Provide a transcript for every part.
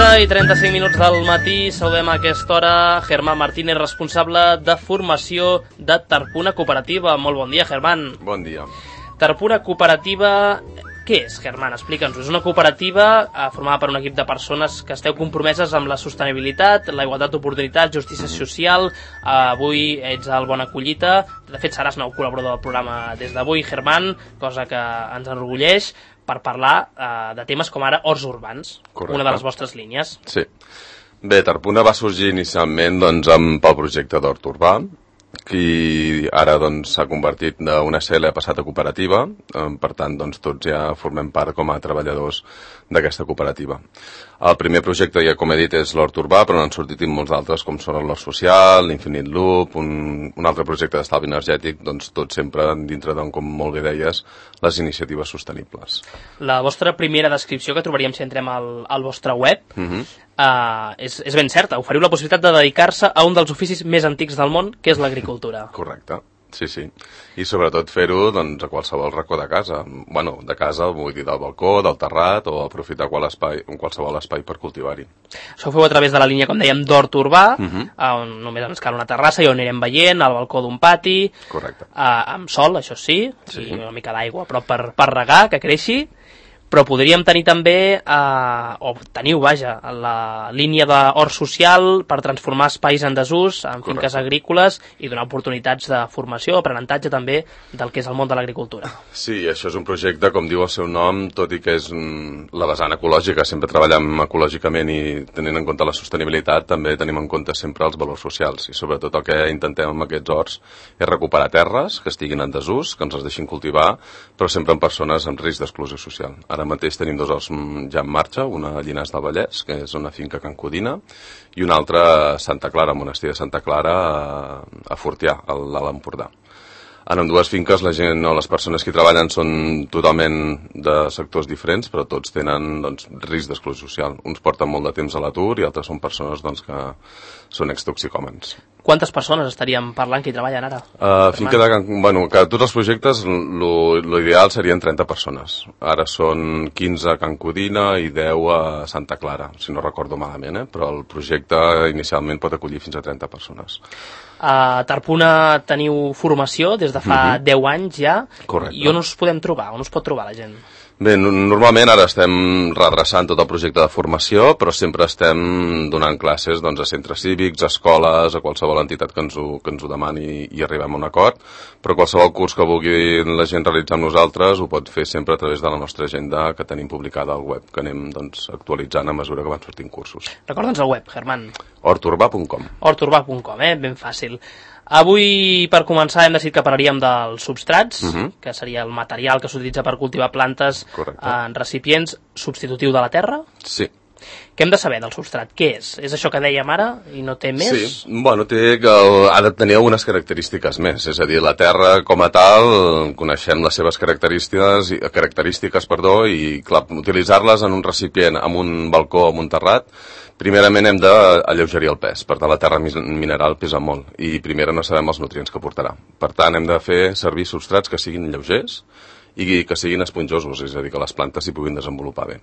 11:35 del matí, saludem a aquesta hora Germán Martínez, responsable de formació de Tarpuna Cooperativa. Molt bon dia, Germán. Bon dia. Tarpuna Cooperativa, què és, Germán? Explica'ns-ho. És una cooperativa formada per un equip de persones que esteu compromeses amb la sostenibilitat, la igualtat d'oportunitats, justícia social. Avui ets al Bona Collita. De fet, seràs nou col·laborador del programa des d'avui, Germán, cosa que ens enorgulleix, per parlar de temes com ara horts urbans. Correcte. Una de les vostres línies. Sí. Bé, Tarpuna va sorgir inicialment pel projecte d'hort urbà, que ara s'ha convertit d'una SL, ha passat a cooperativa. Per tant, tots ja formem part com a treballadors d'aquesta cooperativa. El primer projecte, ja com he dit, és l'hort urbà, però n'han sortit molts altres, com són l'hort social, l'Infinite Loop, un altre projecte d'estalvi energètic, tot sempre dintre com molt bé deies, les iniciatives sostenibles. La vostra primera descripció, que trobaríem si entrem al vostre web, és ben certa. Oferiu la possibilitat de dedicar-se a un dels oficis més antics del món, que és l'agricultura. Correcte. Sí. I sobretot fer-ho a qualsevol racó de casa. Bueno, de casa, vull dir, del balcó, del terrat, o aprofitar qualsevol espai per cultivar-hi. Això ho feu a través de la línia, com dèiem, d'hort urbà, on només ens cal una terrassa i on anirem veient, al balcó d'un pati. Correcte. Amb sol, això sí, i una mica d'aigua, però per regar, que creixi. Però podríem tenir també, o teniu, vaja, la línia d'hort social per transformar espais en desús, en finques agrícoles, i donar oportunitats de formació, aprenentatge també del que és el món de l'agricultura. Sí, això és un projecte, com diu el seu nom, tot i que és la vessant ecològica, sempre treballem ecològicament i tenint en compte la sostenibilitat, també tenim en compte sempre els valors socials, i sobretot el que intentem amb aquests horts és recuperar terres que estiguin en desús, que ens les deixin cultivar, però sempre amb persones amb risc d'exclusió social. Ara mateix tenim dos horts ja en marxa, una a Llinars del Vallès, que és una finca Can Codina, i una altra a Santa Clara, al monestir de Santa Clara, a Fortià, a l'Alt Empordà. En ambdues finques la gent o les persones que hi treballen són totalment de sectors diferents, però tots tenen risc d'exclusió social. Uns porten molt de temps a l'atur i altres són persones que són extoxicòmens. Quantes persones estaríem parlant que hi treballen ara? Que tots els projectes l'ideal serien 30 persones. Ara són 15 a Can Codina i 10 a Santa Clara, si no recordo malament, però el projecte inicialment pot acollir fins a 30 persones. A Tarpuna teniu formació des de fa 10 anys ja. Correcte. I on us podem trobar? On us pot trobar la gent? Bé, normalment ara estem redreçant tot el projecte de formació, però sempre estem donant classes a centres cívics, a escoles, a qualsevol entitat que ens ho demani i arribem a un acord, però qualsevol curs que vulgui la gent realitzar amb nosaltres ho pot fer sempre a través de la nostra agenda que tenim publicada al web, que anem actualitzant a mesura que van sortint cursos. Recorda'ns el web, Germán. horturbà.com. horturbà.com, ben fàcil. Avui, per començar, hem decidit que parlaríem dels substrats, que seria el material que s'utilitza per cultivar plantes en recipients, substitutiu de la terra. Sí. Què hem de saber del substrat? Què és? És això que dèiem ara i no té més? Sí, ha de tenir algunes característiques més, és a dir, la terra com a tal, coneixem les seves característiques, i clar, utilitzar-les en un recipient, en un balcó, en un terrat, primerament hem d'alleugerir el pes, per tant la terra mineral pesa molt i primer no sabem els nutrients que portarà. Per tant hem de fer servir substrats que siguin lleugers i que siguin esponjosos, és a dir, que les plantes s'hi puguin desenvolupar bé.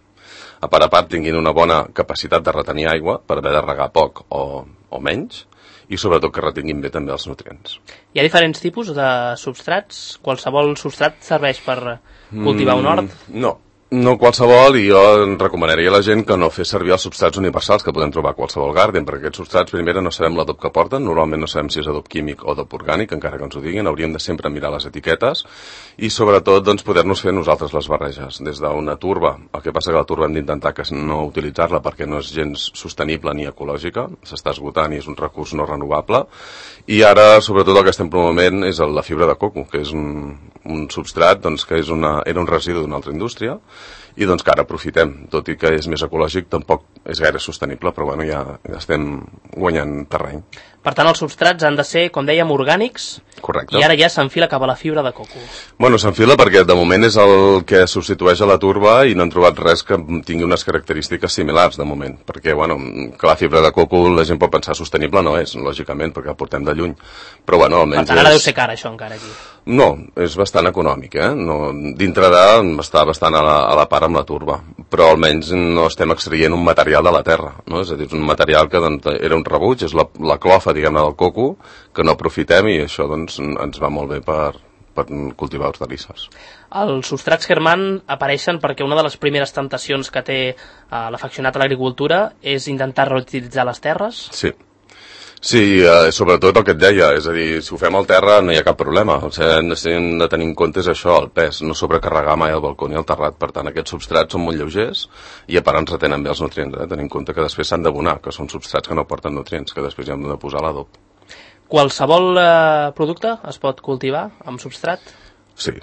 A part tinguin una bona capacitat de retenir aigua per haver de regar poc o menys i sobretot que retinguin bé també els nutrients. Hi ha diferents tipus de substrats? Qualsevol substrat serveix per cultivar un hort? No qualsevol, i jo recomanaria a la gent que no fes servir els substrats universals que podem trobar a qualsevol garden, perquè aquests substrats primer no sabem l'adob que porten, normalment no sabem si és adob químic o adob orgànic, encara que ens ho diguin, hauríem de sempre mirar les etiquetes i sobretot poder-nos fer nosaltres les barreges, des d'una turba. El que passa que la turba hem d'intentar que no utilitzar-la perquè no és gens sostenible ni ecològica, s'està esgotant i és un recurs no renovable, i ara sobretot el que estem promovent és la fibra de coco, que és un substrat que era un residu d'una altra indústria i que ara aprofitem, tot i que és més ecològic, tampoc és gaire sostenible, però ja estem guanyant terreny. Per tant, els substrats han de ser, com dèiem, orgànics. Correcte. I ara ja s'enfila cap a la fibra de coco. Bueno, s'enfila perquè de moment és el que substitueix a la turba i no han trobat res que tingui unes característiques similars de moment. Perquè, que la fibra de coco la gent pot pensar sostenible, no és, lògicament, perquè la portem de lluny. Però, almenys... Per tant, ara deu ser cara, això, encara, aquí. No, és bastant econòmic, No, dintre està bastant a la part ara amb la turba, però almenys no estem extraient un material de la terra, no? És a dir, és un material que doncs, era un rebuig, és la clofa, diguem-ne, del coco, que no aprofitem i això doncs, ens va molt bé per cultivar hortalisses. Els substrats Hermann apareixen perquè una de les primeres temptacions que té l'afeccionat a l'agricultura és intentar reutilitzar les terres. Sí, sobretot el que et deia, és a dir, si ho fem al terra no hi ha cap problema, o sigui, hem de tenir en compte és això, el pes, no sobrecarregar mai el balcó ni el terrat, per tant aquests substrats són molt lleugers i a part ens retenen bé els nutrients, tenint en compte que després s'han d'abonar, que són substrats que no porten nutrients, que després hi hem de posar l'adob. Qualsevol producte es pot cultivar amb substrat? Sí.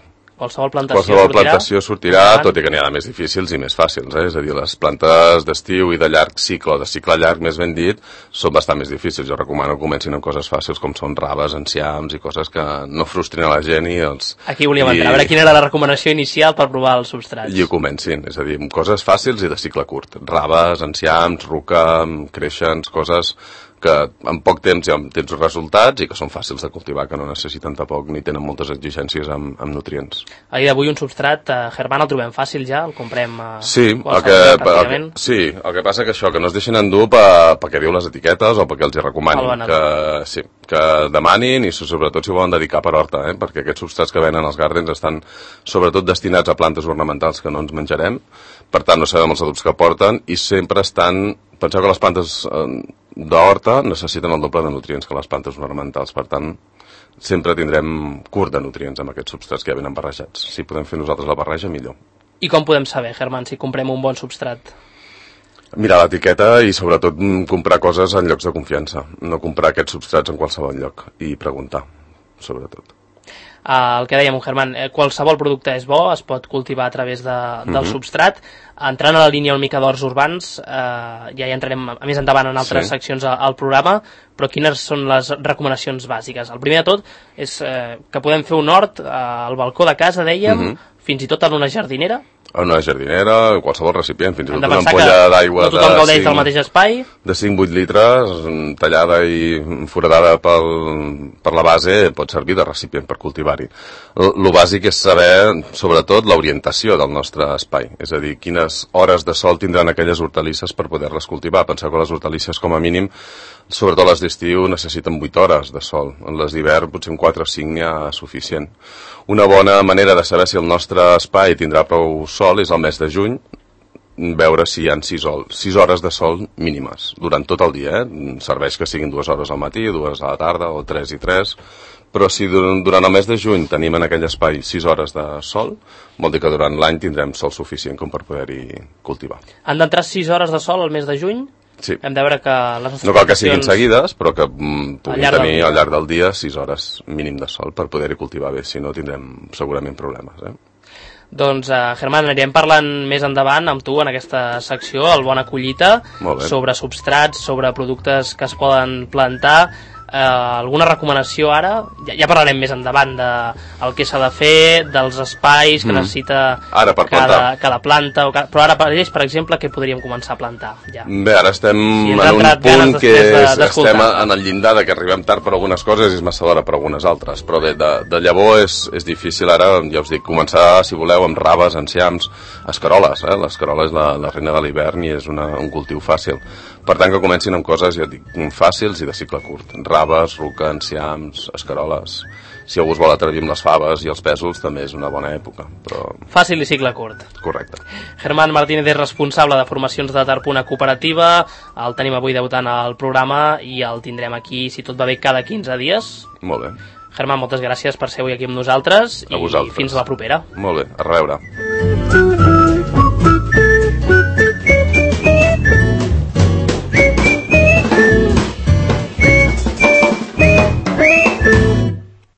Qualsevol plantació sortirà, tot i que n'hi ha de més difícils i més fàcils, és a dir, les plantes d'estiu i de llarg cicle, o de cicle llarg més ben dit, són bastant més difícils. Jo recomano que comencin amb coses fàcils com són raves, enciams i coses que no frustrin a la gent i els... Aquí volíem entrar, a veure quina era la recomanació inicial per provar els substrats. I ho comencin, és a dir, amb coses fàcils i de cicle curt. Raves, enciams, ruca, creixents, coses que en poc temps ja tens resultats i que són fàcils de cultivar, que no necessiten tampoc ni tenen moltes exigències amb nutrients. A dia d'avui un substrat Hermann el trobem fàcil ja? El comprem sí, el que passa que això, que no es deixin endur perquè diu les etiquetes o perquè els hi recomanin, que demanin i sobretot si volen dedicar per horta, perquè aquests substrats que venen als gardens estan sobretot destinats a plantes ornamentals que no ens menjarem, per tant no sabem els adobs que porten i sempre estan... Penseu que les plantes d'horta necessiten el doble de nutrients que les plantes ornamentals, per tant sempre tindrem curt de nutrients amb aquests substrats que ja venen barrejats. Si podem fer nosaltres la barreja, millor. I com podem saber, Hermann, si comprem un bon substrat? Mirar l'etiqueta i sobretot comprar coses en llocs de confiança, no comprar aquests substrats en qualsevol lloc i preguntar, sobretot. El que dèiem, Hermann, qualsevol producte és bo, es pot cultivar a través del substrat. Entrant a la línia una mica d'horts urbans, ja hi entrarem més endavant en altres seccions al programa, però quines són les recomanacions bàsiques? El primer de tot és que podem fer un hort al balcó de casa, dèiem, fins i tot en una jardinera. En una jardinera, qualsevol recipient, fins i tot una ampolla d'aigua no tothom gaudeix del mateix espai. De 5-8 litres, tallada i foradada per la base, pot servir de recipient per cultivar-hi. Lo bàsic és saber, sobretot, l'orientació del nostre espai, és a dir, quines hores de sol tindran aquelles hortalisses per poder-les cultivar. Penseu que les hortalisses, com a mínim, sobretot les d'estiu, necessiten 8 hores de sol. En les d'hivern, potser en 4 o 5 n'hi ha suficient. Una bona manera de saber si el nostre espai tindrà prou sol és el mes de juny, veure si hi ha 6 hores de sol mínimes durant tot el dia. Serveix que siguin 2 hores al matí, 2 a la tarda o 3 i 3, però si durant el mes de juny tenim en aquell espai 6 hores de sol, vol dir que durant l'any tindrem sol suficient com per poder-hi cultivar. Han d'entrar 6 hores de sol al mes de juny? Sí. Hem de veure que les nostres no cal que siguin seguides, però que puguin tenir al llarg del dia 6 hores mínim de sol per poder-hi cultivar bé, si no tindrem segurament problemes. Doncs, Hermann, anirem parlant més endavant amb tu en aquesta secció, el Bona Collita, sobre substrats, sobre productes que es poden plantar. Alguna recomanació ara? Ja parlarem més endavant del que s'ha de fer, dels espais que necessita cada planta, però ara, per exemple, què podríem començar a plantar? Ja. Bé, ara estem en un punt que estem en el llindar que arribem tard per algunes coses i és massa d'hora per algunes altres, però bé, de llavor és difícil ara, ja us dic, començar, si voleu, amb raves, enciams, escaroles, l'escarola és la reina de l'hivern i és un cultiu fàcil. Per tant, que comencin amb coses, ja dic, fàcils i de cicle curt. Raves, ruca, enciams, escaroles. Si algú es vol atrevir amb les faves i els pèsols, també és una bona època. Però... Fàcil i cicle curt. Correcte. Hermann Martínez és responsable de formacions de Tarpuna Cooperativa. El tenim avui debutant al programa i el tindrem aquí, si tot va bé, cada 15 dies. Molt bé. Hermann, moltes gràcies per ser avui aquí amb nosaltres i fins a la propera. Molt bé, a reveure.